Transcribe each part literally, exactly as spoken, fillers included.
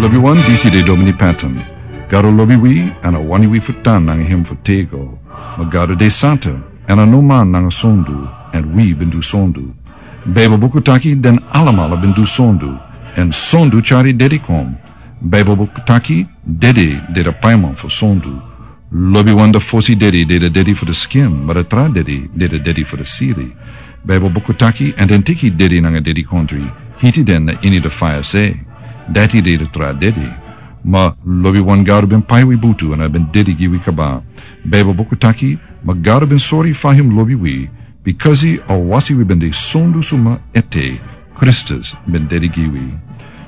Lobi wan, disi de Domini Patton. Gado lobi wi, èn a wani wi fu tan nanga hem fu tego. Ma Gado de santa, èn a no man nanga sondu, èn wi ben du sondu. Baibel buku taki den alamala ben du sondu, èn sondu tyari dedi kon. Baibel buku taki dedi de de paiman fu sondu. Lobi wan, de fosi dedi de de dedi fu de skin, ma de tra dedi de de dedi fu de siri. Baibel buku taki, èn den teki dedi nanga dedi kontri, hiti den na ini de faya se. Dati de de tra dedi. Ma lobi wan, Gado ben pai wi butu èn a ben dedi gi wi kaba. Baibel buku taki, ma Gado ben sori fa hem lobi wi, bikasi a wasi wi ben de sondu suma ete, Kristus ben dedi gi wi.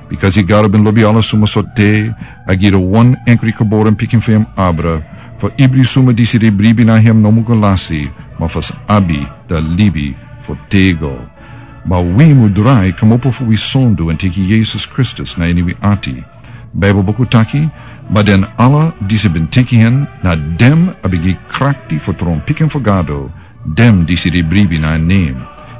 Bikasi Gado ben lobi ala suma sorte, a gi de wan enkri geboren pikin fu hem abra, fu ibri suma disi de bribi na hem no mu go lasi, ma fu sa abi de libi fu tego. Ma wi mu drai kmopo fu wi sondu èn teki Yesus Kristus na ini wi ati. Baibel buku taki, ma den ala disi ben teki hen, na den a ben gi krakti fu tron pikin fu Gado, den disi de bribi na en nen.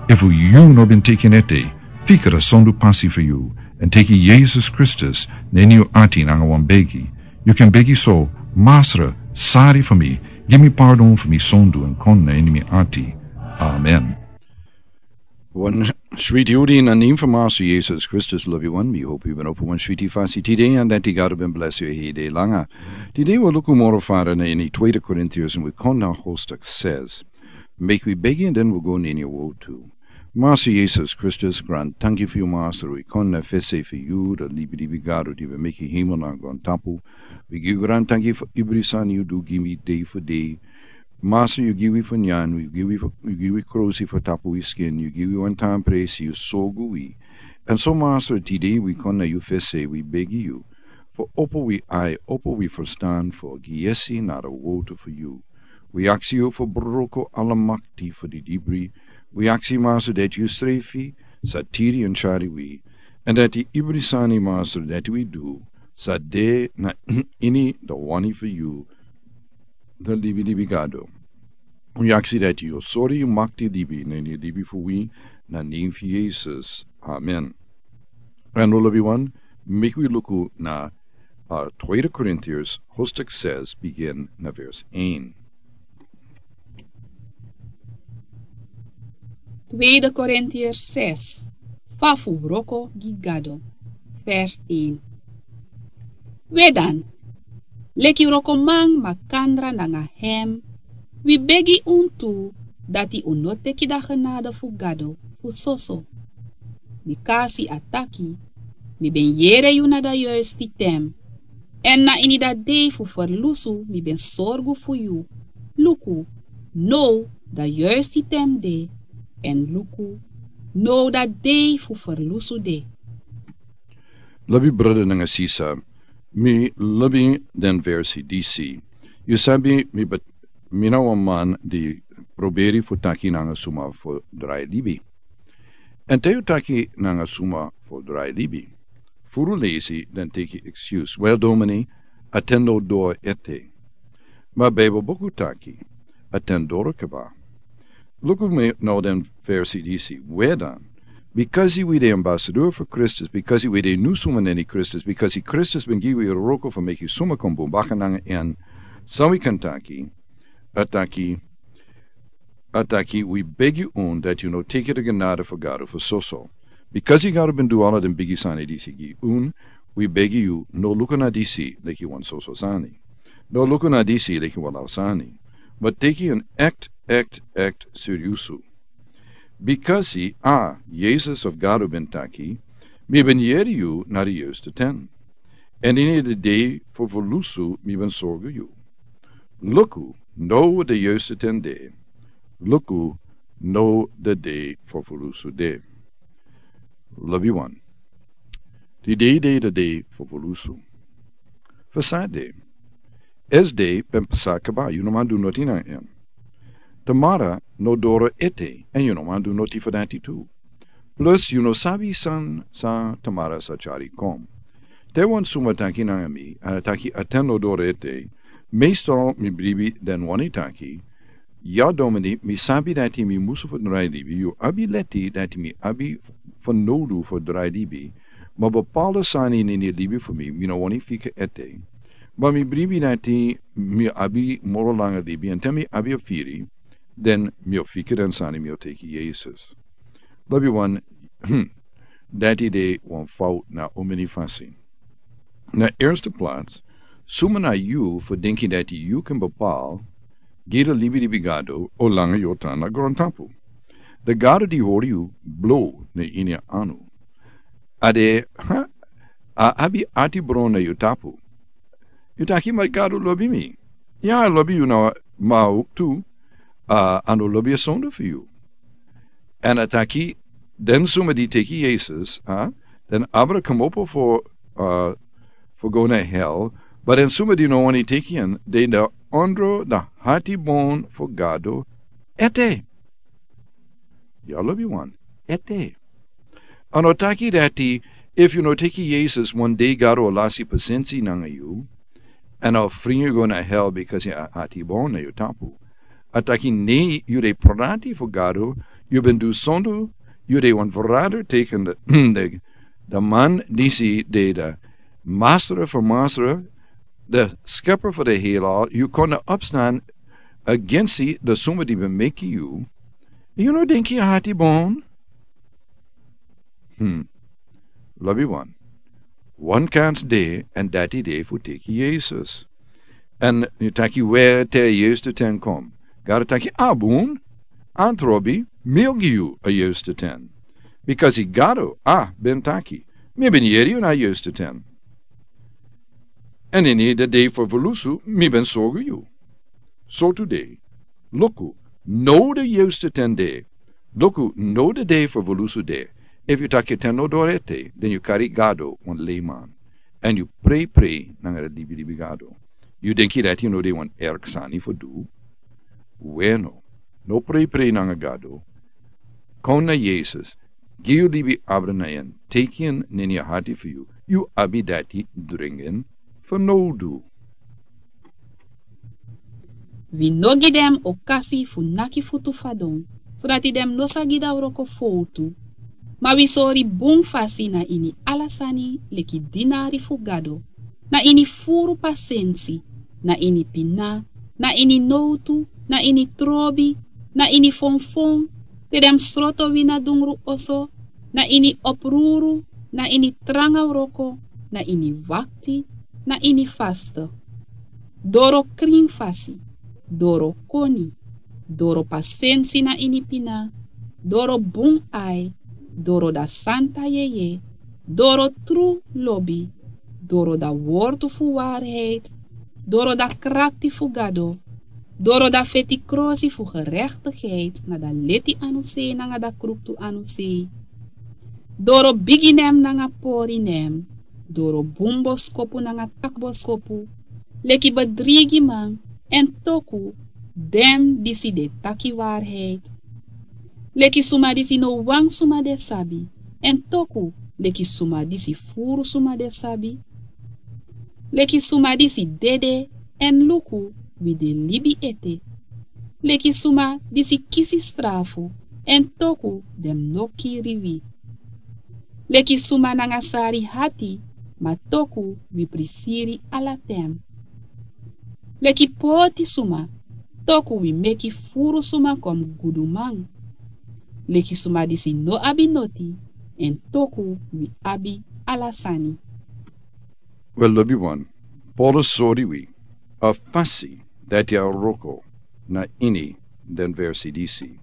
Efu yu no ben teki en ete, fika de sondu pasi fu yu, èn teki Yesus Kristus na ini yu ati nanga wan begi. Yu kan begi so: Masra, sari fu mi, gi mi pardon fu mi sondu èn kon na ini mi ati. Amen. Wan switi odi na nen fu Masra Yesus Kristus, lobi wan, mi hopi yu ben opo wan switi fasi tide, èn dati Gado ben blesi yu hede langa. Tide wi luku moro fara na ini Tweede Korintiërs, èn wi kon na hoofdstuk zes. Meki wi begi èn den wi go na ini a wotu. Masra Yesus Kristus, grantanki fu yu, Masra, wi kon na fesi fu yu, de libilibi Gado di ben meki hemel nanga grontapu. Wi gi yu grantanki fu ibri sani yu du gi wi dei fu dei. Masra, yu gi wi fu nyan, yu gi wi fu, yu gi wi krosi fu tapu wi skin, yu gi wi wan tan presi, yu sorgu wi. Èn so, Masra, tide wi kon na yu fesi, wi begi yu fu opo wi ai, opo wi ferstan, fu gi yesi na de wotu fu yu. Wi aksi yu fu broko ala makti fu didibri. Wi aksi, Masra, dati yu srefi sa tiri èn tyari wi, èn dati ibri sani, Masra, dati wi du sa de na ini de wani fu yu, de libilibi Gado. Wi aksi dati yu o sori yu makti libi na ini libi fu wi, na nen fu Yesus. Amen. Èn lobi wan, meki wi luku na, uh, Tweede Korintiërs, hoofdstuk zes, begin na vers één. Tweede Korintiërs zes, fa fu wroko gi Gado, vers één. We dan, leki wrokoman makandra nanga hem, wi begi unu tu, dati unu no teki de genade fu Gado fu soso. Bikasi a taki: Mi ben yere yu na de yuisti ten, èn na ini de dei fu ferlusu mi ben sorgu fu yu. Luku, now de yuisti ten de, èn luku, now de dei fu ferlusu de. Lobi brada nanga sisa, mi lobi den versi disi. Yu sabi, mi, mi na wan man di pruberi fu taki nanga suma fu drai libi. Èn te yu taki nanga suma fu drai libi, furu leisi den teki excuse: Wel, domini, a ten no doro ete. Ma Bijbel buku taki a ten doro kaba. Luku mi now den versi disi. We dan, bikasi wi de ambasador fu Kristus, bikasi wi de nu suma na ini Kristus, bikasi Kristus ben gi wi wroko fu meki suma kon bun baka nanga en, san wi kan taki? A taki, a taki: Wi begi unu dati unu no teki de genade fu Gado fu soso. Bikasi Gado ben du ala den bigi sani disi gi unu, wi begi yu, no luku na disi leki wan soso sani. No luku na disi leki wan law sani. Ma teki en echt, echt, echt seriusu. Bikasi a, Yesus of Gado ben taki: Mi ben yere yu na de yuisti ten, èn ini de dei fu ferlusu mi ben sorgu yu. Luku, now de yuisti ten de. Luku, now de dei fu ferlusu de. Lobi wan. Tide de de dei fu ferlusu. Fu san de? Esde ben pasa kaba, yu no man du noti nanga en. Tamara no doro ete, èn yu no man du noti fu dati tu. Plus yu no sabi san, san tamara sa tyari kon. Te wan suma taki nanga mi, èn a taki a ten no doro ete, meestal mi bribi den wani taki: Ya domini, mi sabi dati mi musu fu drai libi, yu abi leti dati mi abi fanowdu fu drai libi, Ma bepaalde sani ini ini libi fu mi mi no wani fika ete. Ma mi bribi dati mi abi moro langa libi èn te mi abi a firi, den mi o fika den sani mi o teki yesus. Lobi wan. Dati de wan fout na omini fasi. Na erste plats, suma na yu fu denki dati yu kan bepaal gi de libi libi gado o langa yu o tan na grontapu. De gado di hori yu blo na ini a anu. A de ha a abi ati bron na yu tapu. Yu taki ma gado lobi mi. Ya a lobi yu na ma tu. A no lobi a sondu fu yu. Èn a taki den suma di teki yesus a den abra komopo fo fo go na hel. But den suma di no wani teki en de na ondro na hati bon fo gado. Ete. Ya lobi wan ete. A no taki dati efu yu no teki yesus wan dei gado o lasi pasensi nanga yu. Èn a fringi yu go na hel bikasi a ati bon na yu tapu. A taki nei yu de pranati fu gado. Yu ben du sondu. Yu de wan verrader teken de de man disi de de masra fu masra de skepper fu de helal yu kon na opstan agensi de suma di ben meki yu. Yu no denki a hati bon. Hmm. Lobi wan. Wan kans de èn dati de fu teki yesus. Èn yu taki we te a yesus ten kom gado taki a bun. Antrobi mi o gi yu a yesus ten. Bikasi gado a ben taki mi ben yeri yu na a yesus ten. Èn ini de dei fu vulusu mi ben sorgu yu. Sortu dei. Luku no de yesus ten de. Luku no de dei fu vulusu de. Efu yu taki ten no dori ete den yu kari gado wan leiman. Èn yu prei prei nanga de libi libi gado. Yu denki dati no de wan erk sani fu du. Weno no prei prei nanga gado. Kon na yesus. Gi yu libi abra na en teki en neni a hati fu yu. Yu abi dati dringen fu no du. Wi no gi den okasi fu naki futu fadon sodati den no sa gi dan wroko fowtu. Ma wi sori bun fasi na ini ala sani leki dinari fu gado, na ini furu pasensi, na ini pina, na ini nowtu, na ini trobi, na ini fonfon, te den mus sroto wi na dungru oso, na ini opruru, na ini tranga wroko, na ini wakti, na ini faste. Doro krin fasi, doro koni, doro pasensi na ini pina, doro bun ai, doro da santa yeye, doro tru lobi, doro da wortu fu warheid, doro da krakti fu gado, doro da feti krosi fu gerektigheid na da leti anusei nanga da kruktu anusei. Doro bigi nen nanga pori nen, doro bun boskopu nanga taki boskopu, leki bedrigiman èn toku den disi de taki warheid. Leki suma disi no wan suma de sabi èn toku leki suma disi furu suma de sabi. Leki suma disi dede èn luku wi de libi ete. Leki suma disi kisi strafu èn toku den mus no kiri wi. Leki suma nanga sari hati ma toku wi prisiri ala ten. Leki poti suma toku wi meki furu suma kon mus guduman. Leki suma disi no abi noti èn toku wi abi ala sani. We lobi wan, paulus sori wi a fasi dati a wroko na ini den versi disi.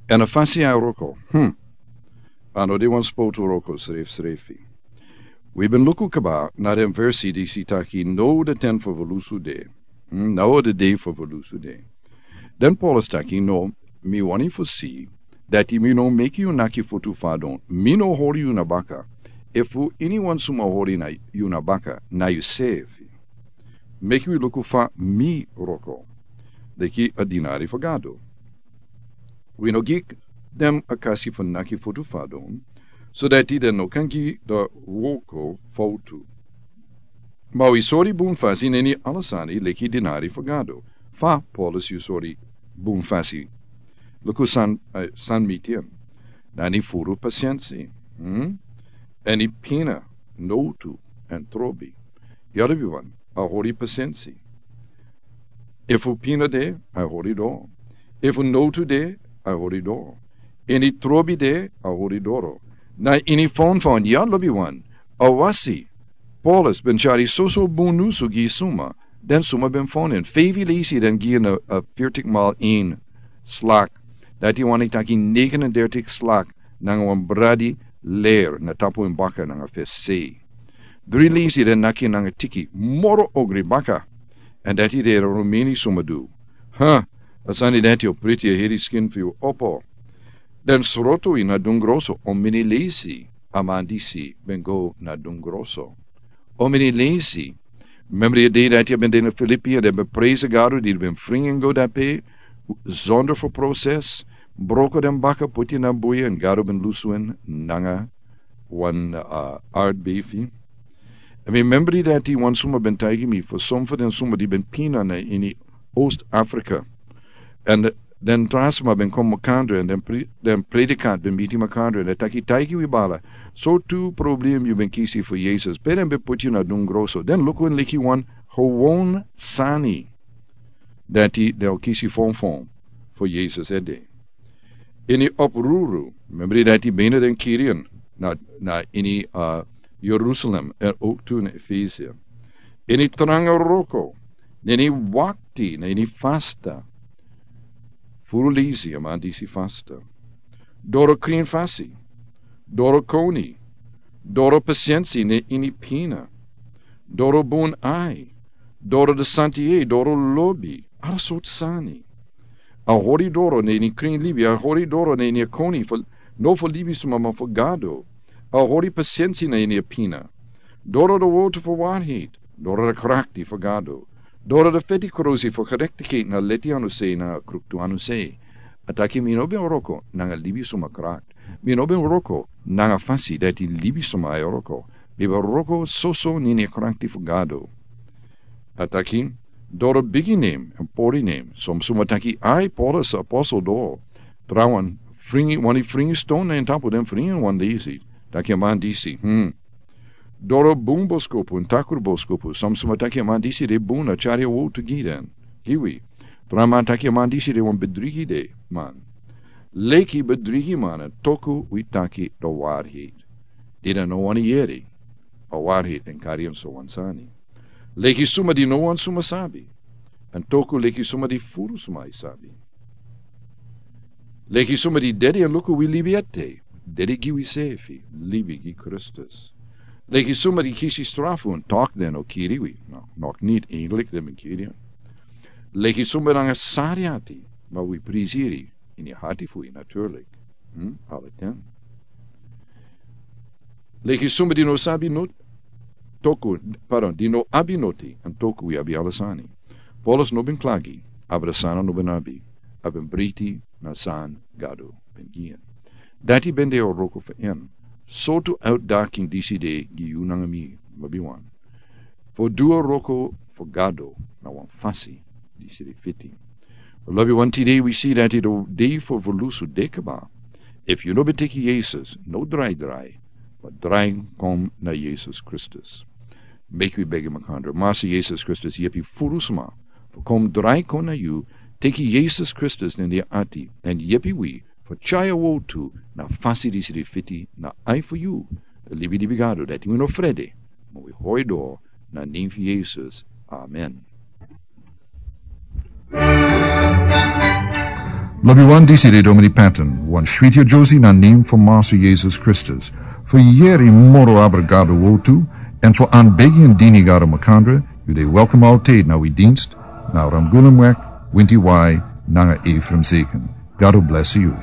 Èn a fasi a wroko hmm. A no de wan spotu wroko srefsrefi. Wi ben luku kaba na den versi disi taki no de ten fu volusu de. Hmm, na o de dei fu volusu de. Den paulus taki no, mi wani fu si dati mi no meki yu naki futu fadon mi no hori yu na baka. Efu iniwan suma hori na yu na baka na yu sefi. Meki wi luku fa mi wroko leki a dinari fu gado. Wi no gi den a kasi fu naki futu fadon sodati den no kan gi da wroko fowtu. Ma wi sori bun fasi neni ala sani leki dinari fu gado. Fa paulus yu sori bun fasi? Luku san mi tin. Nani furu pasensi. Èn i pina. nowtu, èn trobi. Yu lobiwan, a hori pasensi. Efu pina de, a hori doro. Efu nowtu de, a hori doro. Ini trobi de, a hori doro. Na ini fonfon, yu lobiwan, a wasi. Paulus ben tyari soso bun nyunsu gi suma, den suma ben fon en. Feifi leisi den gi en a, a fiftig maal één slak. Dati wani taki negenendertig slak nanga wan bradi ler na tapu en baka nanga fesi. Dri leisi den naki nanga tiki moro ogri baka. Èn dati de Romeni suma du. Ha, a sani dati o priti a heri skin fu yu opo. Den sroto yu na dungroso, o mini leisi a man disi ben go na dungroso. O mini leisi. Memri a dei dati a ben de na Filipi, èn den ben presi Gado di ben fringi en go dape, zonder fu proses, broko den baka, puti na buya, èn Gado ben lusu en nanga wan, uh, aardbefi. Èn mi memri dati wan suma ben taigi mi, fu son fu den suma di ben pina na ini Oost Afrika. Èn den tra suma ben kon makandra, èn den pri-, den predikant ben miti makandra, èn den taki taigi wi bala. So tu problem yu ben kisi fu Yesus. Pe den ben puti yu na dungroso. Den luku en leki wan gewoon sani. Dati den o kisi fonfon fu Yesus ede. Ini opruru, memri dati bena den kiri en na, na ini, uh, Jerusalem, èn ook tu na Efesia. Ini tranga wroko, na ini wakti, na ini fasta. Furu leisi a man disi fasta. Doro krin fasi, doro koni, doro pasensi na ini pina, doro bun ai, doro de santi yeye, doro lobi, ala sortu sani. A hori doro na ini krin libi, a hori doro na ini a koni fu, no fu libisma ma fu Gado. A hori pasensi na ini a pina. Doro de word fu waarheid, doro de krakti fu Gado. Doro de feti krusi fu gerechtigheid na leti anu sei na kruktu anu sei. A taki mi no ben wroko nanga libisma krakti. Mi no ben wroko nanga fasi dati libisma e wroko. Mi ben wroko soso na ini a krakti fu Gado. A taki, doro bigi nen, èn pori nen. Son suma taki ai Paulus apostel doro. Trawan, fringi, wani fringi ston na en tapu den fringi wan disi. Taki a man disi, hmm. Doro bun boskopu, èn takru boskopu. Son suma taki a man disi de bun a tyari a word tu gi den. Gi wi. Tra man taki a man disi de wan bedrigi de, man. Leki bedrigi man, èn toku wi taki de waarheid. Di den no wani yere a waarheid èn kari en so wan sani. Leki suma di no wan suma sabi. Èn toku leki suma di furu suma e sabi. Leki suma di dedi èn luku wi libi ete. Dedi gi wi sefi, libi gi Kristus. Leki suma di kisi strafu èn taki den o kiri wi. No, nog niti, eigenlijk den ben kiri en. Leki suma nanga sari ati, ma wi prisiri ini a ati fu wi natuurlijk. Hmm? Ala ten. Leki suma di no sabi noti, toku, pardon, di no abi noti, èn toku wi abi ala sani. Paulus no ben klagi, abra san a no ben abi, a ben briti na san Gado ben gi en. Dati ben de a wroko fu en. Sortu uitdaging disi de gi yu nanga mi, lobiwan. Fu du a wroko fu Gado na wan fasi disi de fiti. Lobiwan, tide wi si dati a dei fu evolusi de kaba. Efu yu no ben teki Yesus, no drai drai, ma drai kon na Yesus Kristus. Meki wi begi makandra. Masi Yesus Kristus, yepi furu suma fu kon drai kon na yu, teki Yesus Kristus na den ati, èn yepi wi fu tyari a word tu na fasi disi de fiti na ai fu yu, den libi libi Gado, dati wi no frede, ma wi hori doro na nen fu Yesus. Amen. Lobiwan, disi de Dominee Patton, wan switi a Josie na nen fu Masi Yesus Kristus. Fu yere moro abra Gado word tu, èn fu anbegi èn dini Gado makandra, yu de welkom altijd na wi dienst, na Ramgoolimweg, Winti Wai, nanga Ephraim Zeken. God bless you.